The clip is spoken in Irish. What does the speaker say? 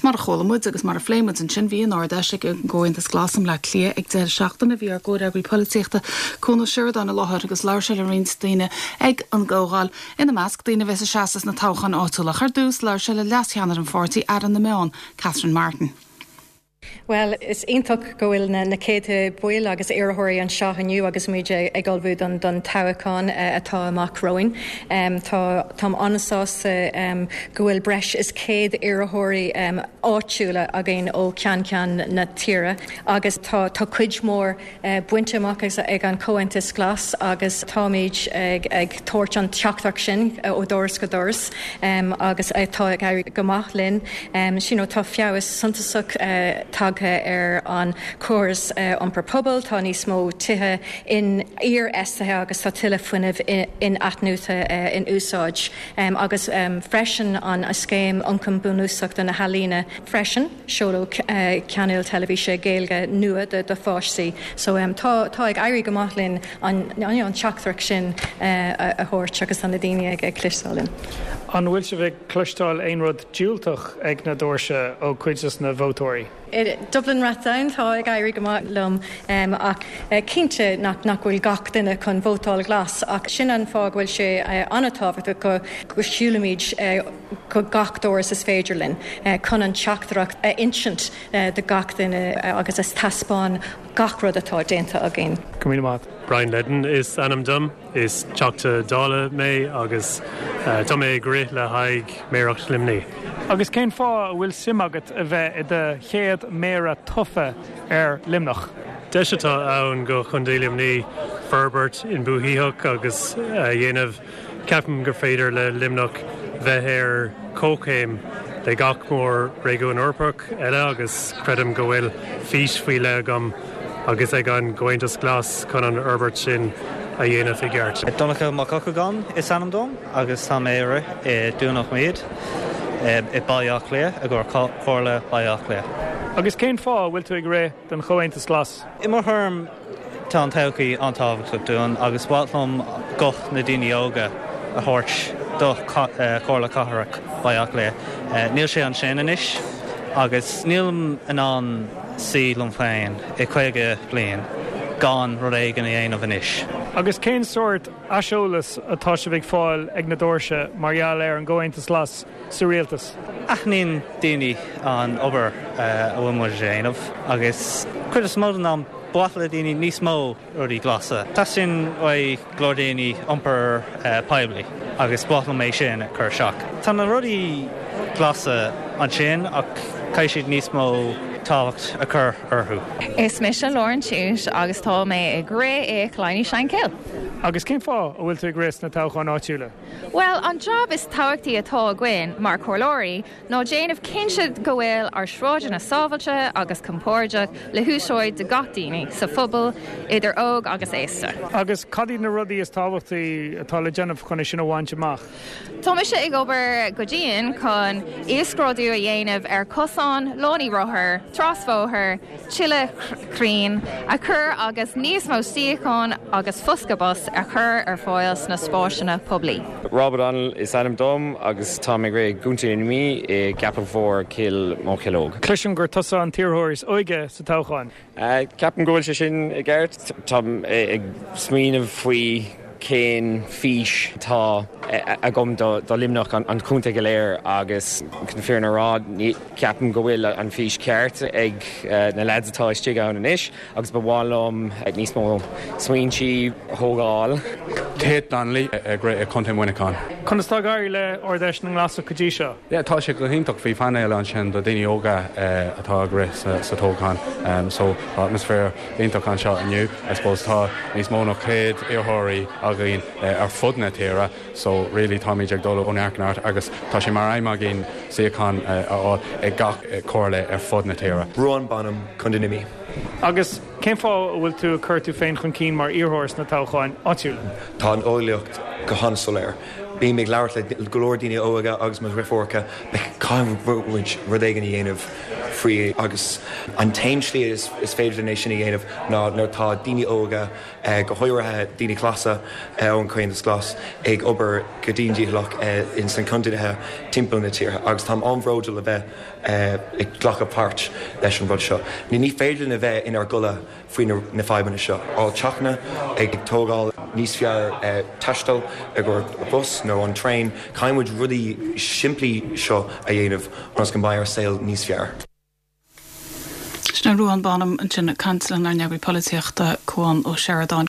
Mar a chuala muid agus mar a phléigh muid ansin, bhí an Ard-Fheis ag an gComhaontas Glas i mBleá Cliath ag deireadh seachtaine. Bhí ár gcomhfhreagraí polaitíochta, Cuan Ó Seireadáin i láthair agus labhair sé le roinnt daoine ag an gcomhdháil, ina measc, daoine a bheas ag seasamh sna toghcháin áitiúla. Ach ar dtús, labhair sé le leas-cheannaire an pháirtí, Aire na Meán, Catherine Martin. Bhuel, is iontach go bhfuil na céadta baill agus iarrthóirí anseo inniu agus muid ag ullmhú don toghchán atá amach romhainn. Tá, táim an-sásta go bhfuil breis is 100 iarrthóirí áitiúla againn ó cheann ceann na tíre agus tá, tá cuid mhór bainte amach ag an Chomhaontas Glas agus táimid ag tabhairt an teachtaireacht sin ó dhoras go doras agus tá ag éirí go maith linn. You know, tá feabhas suntasach tagtha ar an chóras iompar pobail, tá níos mó tithe iarfheistithe agus tá tuilleadh fuinnimh in-athnuaite in úsáid agus freisin an scéim Ioncam Bunúsach do na hEalaíona freisin. Seoladh cainéal teilifíse Gaeilge nua do pháistí. So tá tá ag éirí go maith linn an an teachtaireacht sin a thabhairt agus tá na daoine ag ag cloisteáil linn. An bhfuil sibh ag cloisteáil aon rud diúltach ag na doirse ó chuid des na vótóirí? I Dublin Rathdown tá ag éirí go maith liom ach cinnte nach nach bhfuil gach duine chun vótáil glas ach sin an fáth go bhfuil sé an-tábhachtach go go siúlaimid go gach doras is féidir linn chun an teachtaireacht a insint do gach duine agus a taispeáin gach rud atá déanta againn. Go raibh míle maith. Brian Leddin is ainm dom. Is Teachta Dála mé agus tá mé ag rith le haghaidh Méaracht Luimnigh. Agus cén fáth a bhfuil suim agat a bheith i do chéad Méara tofa ar Luimneach? Deis atá ann go Chontae Luimnigh forbairt inbhuanaitheach agus a dhéanamh Ceapaim gur féidir le Luimneach bheith ar comhchéim le gach mór-réigiún Eorpach eile agus creidim go bhfuil fís faoi leith agam agus ag an gComhaontas Glas chun an fhorbairt sin a dhéanamh i gceart. Donncha Mac Eochagáin is ainm dom agus tá mé ag rith i Dún Loch i Baile Átha Cliath i gcomhair Comhairle Baile Átha Cliath. Agus cén fáth a bhfuil tú ag rith don Chomhaontas Glas? I mo thuairim, Tá an todhchaí an-tábhachtach dúinn agus ba mhaith liom guth na daoine óga a thabhairt do Chomhairle Cathrach Bhaile Átha Cliath. Níl sé ansin anois agus nílim in ann suí liom féin i 50 bliain gan rud éigin a dhéanamh anois. Agus cén sórt aiseolas atá sibh ag fáil ag na doirse mar gheall ar an gComhaontas Glas sa rialtas? Aithníonn daoine an obair a bhfuil muid a dhéanamh agus cuid is mó den am, Ba mhaith le daoine níos mó rudaí glasa. Teastaíonn uaidh go leor daoine iompar poiblí agus ba mhaith liom é sin a chur isteach. Tá na rudaí glasa ansin ach caithfidh siad níos mó tábhacht a chur orthu. Is mise Lauren Tuite agus tá mé ag rith i Killiney Shankill. Agus cén fáth a bhfuil tú ag rith sna toghcháin áitiúla? Bhuel, an jab is tábhachtaí atá againn mar chomhairleoirí ná déanamh cinnte go bhfuil ár sráideanna sábhailte agus compordach le húsáid do gach daoine sa phobal, idir óg agus aosta. Agus cad iad na rudaí is tábhachtaí atá le déanamh chun é sin a bhaint amach? Tá mise ag obair go dian chun uasghrádú a dhéanamh ar chosáin, lánaí rothar, trasbhóthar, tuilleadh crainn a chur agus níos mó suíochán agus foscadh bus a chur ar fáil sna spásanna poiblí. Rob O'Donnell is ainm dom agus táim ag rith i gContae na Mí i gCeapach Mhór, Cill Mocheallóg. Cloisim gur tusa an t-iarrthóir is óige sa toghchán. Ceapaim go bhfuil sé sin i gceart. Táim ag smaoineamh faoi cén fís atá agam do Luimneach, an chontae go léir agus chun na fírinne a rá, Ceapaim go bhfuil an fís ceart ag na leaids atá istigh ann anois agus ba mhaith liom níos mó smaointí a thógáil. Tate Donnelly ag rith i Contae Mhuineacháin. Conas tá ag éirí le Ard-Fheis na nGlasach go dtí seo? Yeah, tá sé go hiontach. Bhí painéal ansin do daoine óga atá ag rith sa toghchán. So tá atmaisféar iontach anseo inniu. I suppose tá níos mó ná 100 iarrthóirí againn ar fud na tíre. So really táimid ag dul ó neart go neart agus tá sé mar aidhm againn suíochán a fháil ag gach comhairle ar fud na tíre. Ruán Bonham, Contae na Mí. Agus cén fáth a bhfuil tú ag cur tú féin chun cinn mar iarrthóir sna toghcháin áitiúla? Tá an eolaíocht go han-soiléir. Bím ag labhairt le go leor daoine óga agus mo dhriofúracha, caithfidh muid rud éigin a dhéanamh. faoi agus an t-aon slí is féidir linn é sin a dhéanamh ná nuair atá daoine óga, go háirithe daoine glasa ón Chomhaontas Glas, ag obair go dian dícheallach ins na contaetha timpeall na tíre agus táim an-bhródúil a bheith ag glacadh páirt leis an rud seo. Ní féidir linn a bheith inár gcodladh faoi na fadhbanna seo. Fáil teachanna, ag tógáil níos fearr taisteal i gcomhair bus nó an traein, caithfidh muid rudaí simplí seo a dhéanamh ionas go mbeidh ár saol níos fearr. Sin é Ruadhán Bonham ansin ag caint lenár n-eagraí polaitíochta, Cuan Ó Seireadáin.